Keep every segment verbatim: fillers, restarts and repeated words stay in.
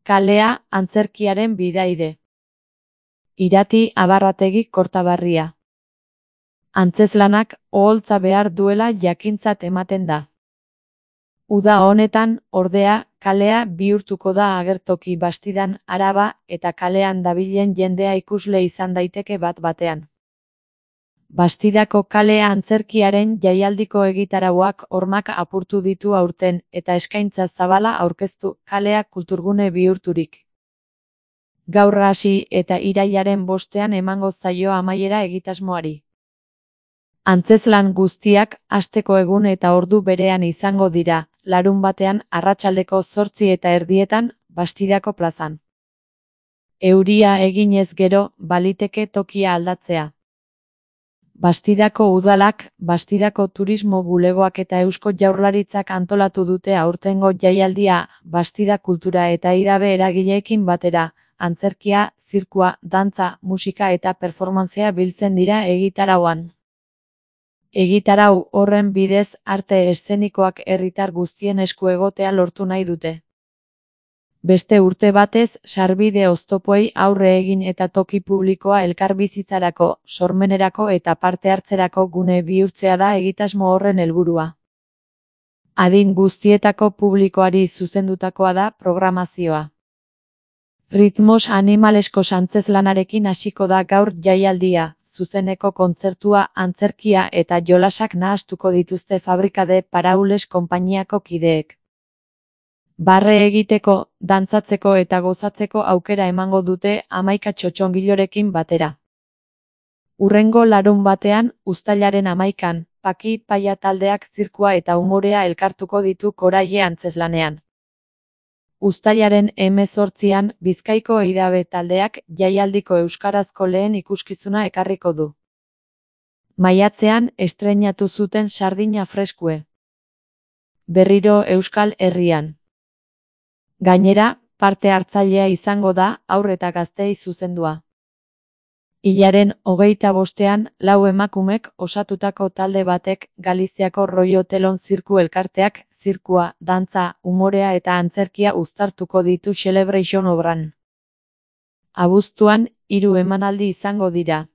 kalea antzerkiaren bidaide. Irati Abarrategi Kortabarria. Antzeslanak oholtza behar duela jakintzat ematen da. Uda honetan, ordea, kalea bihurtuko da agertoki Bastidan araba eta kalean dabilen jendea ikusle izan daiteke bat batean. Bastidako kalea antzerkiaren jaialdiko egitarauak hormak apurtu ditu aurten eta eskaintza zabala aurkeztu kalea kulturgune bihurturik. Gaur hasi eta irailaren bostean emango zaio amaiera egitasmoari. Antzezlan guztiak asteko egun eta ordu berean izango dira, larunbatean arratsaldeko zortzi eta erdietan Bastidako plazan. Euria eginez gero, baliteke tokia aldatzea. Bastidako udalak, Bastidako turismo bulegoak eta Eusko Jaurlaritzak antolatu dute aurtengo jaialdia, Bastida kultura eta idabe eragileekin batera, antzerkia, zirkua, dantza, musika eta performantzea biltzen dira egitarauan. Egitarau horren bidez arte eszenikoak herritar guztien esku egotea lortu nahi dute. Beste urte batez, sarbide oztopoei aurre egin eta toki publikoa elkarbizitzarako, sormenerako eta parte hartzerako gune bihurtzea da egitasmo horren helburua. Adin guztietako publikoari zuzendutakoa da programazioa. Ritmos animalesko antzezlanarekin hasiko da gaur jaialdia, zuzeneko kontzertua, antzerkia eta jolasak nahastuko dituzte Fabrika de Paraules konpainiako kideek. Barre egiteko, dantzatzeko eta gozatzeko aukera emango dute hamaika txotxongilorekin batera. Hurrengo larun batean, uztailaren hamaikan, Paki Paia taldeak zirkua eta umorea elkartuko ditu Koraie antzezlanean. Uztailaren hemezortzian, Bizkaiko idabe taldeak jaialdiko euskarazko lehen ikuskizuna ekarriko du. Maiatzean estreinatu zuten Sardina Freskue. Berriro Euskal Herrian. Gainera, parte hartzailea izango da haur eta gazteei zuzendua. Hilaren hogeita bostean, lau emakumek osatutako talde batek Galiziako Rollo Telon zirku elkarteak, zirkua, dantza, umorea eta antzerkia uztartuko ditu Celebration obran. Abuztuan, hiru emanaldi izango dira.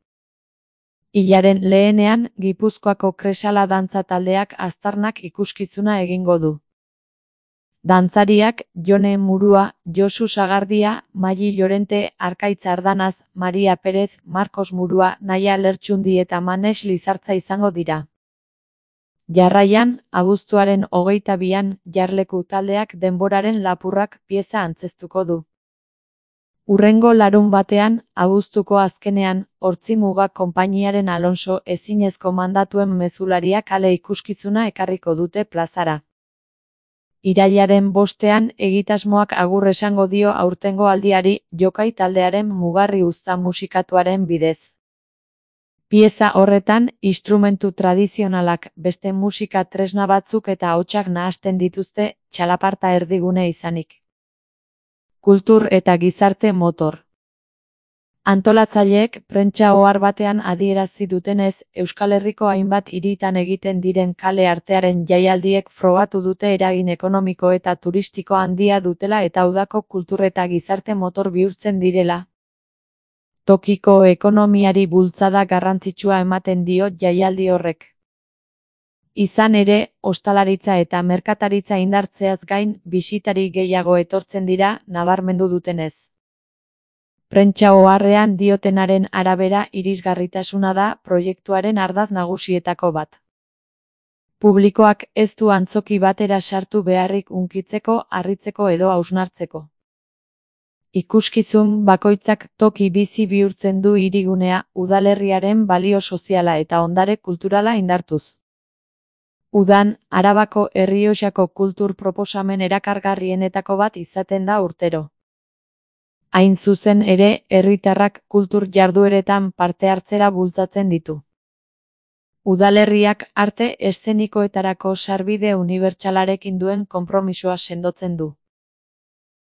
Hilaren lehenean, Gipuzkoako Kresala dantza taldeak aztarnak ikuskizuna egingo du. Dantzariak, Jone Murua, Josu Sagardia, Maili Llorente, Arkaitz Ardanaz, Maria Perez, Marcos Murua, Naia Lertxundi eta Manes Lizartza izango dira. Jarraian, abuztuaren hogeita bian, Jarleku taldeak denboraren lapurrak pieza antzeztuko du. Hurrengo larun batean, abuztuko azkenean, Hortzimuga konpainiaren Alonso ezinezko mandatuen mezularia kale ikuskizuna ekarriko dute plazara. Irailaren bostean egitasmoak agur esango dio aurtengo aldiari Jokai taldearen Mugarri uzta musikatuaren bidez. Pieza horretan, instrumentu tradizionalak, beste musika tresna batzuk eta ahotsak nahasten dituzte, txalaparta erdigune izanik. Kultur eta gizarte motor. Antolatzaileek prentsa ohar batean adierazi dutenez, Euskal Herriko hainbat hiritan egiten diren kale artearen jaialdiek frogatu dute eragin ekonomiko eta turistiko handia dutela eta udako kultur eta gizarte motor bihurtzen direla. Tokiko ekonomiari bultzada garrantzitsua ematen dio jaialdi horrek. Izan ere, ostalaritza eta merkataritza indartzeaz gain, bisitari gehiago etortzen dira, nabarmendu dutenez. Prentsa oharrean diotenaren arabera irisgarritasuna da proiektuaren ardatz nagusietako bat. Publikoak ez du antzoki batera sartu beharrik hunkitzeko, harritzeko edo hausnartzeko. Ikuskizun bakoitzak toki bizi bihurtzen du hirigunea, udalerriaren balio soziala eta ondare kulturala indartuz. Udan, Arabako Errioxako kultur proposamen erakargarrienetako bat izaten da urtero. Hain zuzen ere, herritarrak kultur jardueretan parte hartzera bultzatzen ditu. Udalerriak arte eszenikoetarako sarbide unibertsalarekin duen konpromisoa sendotzen du.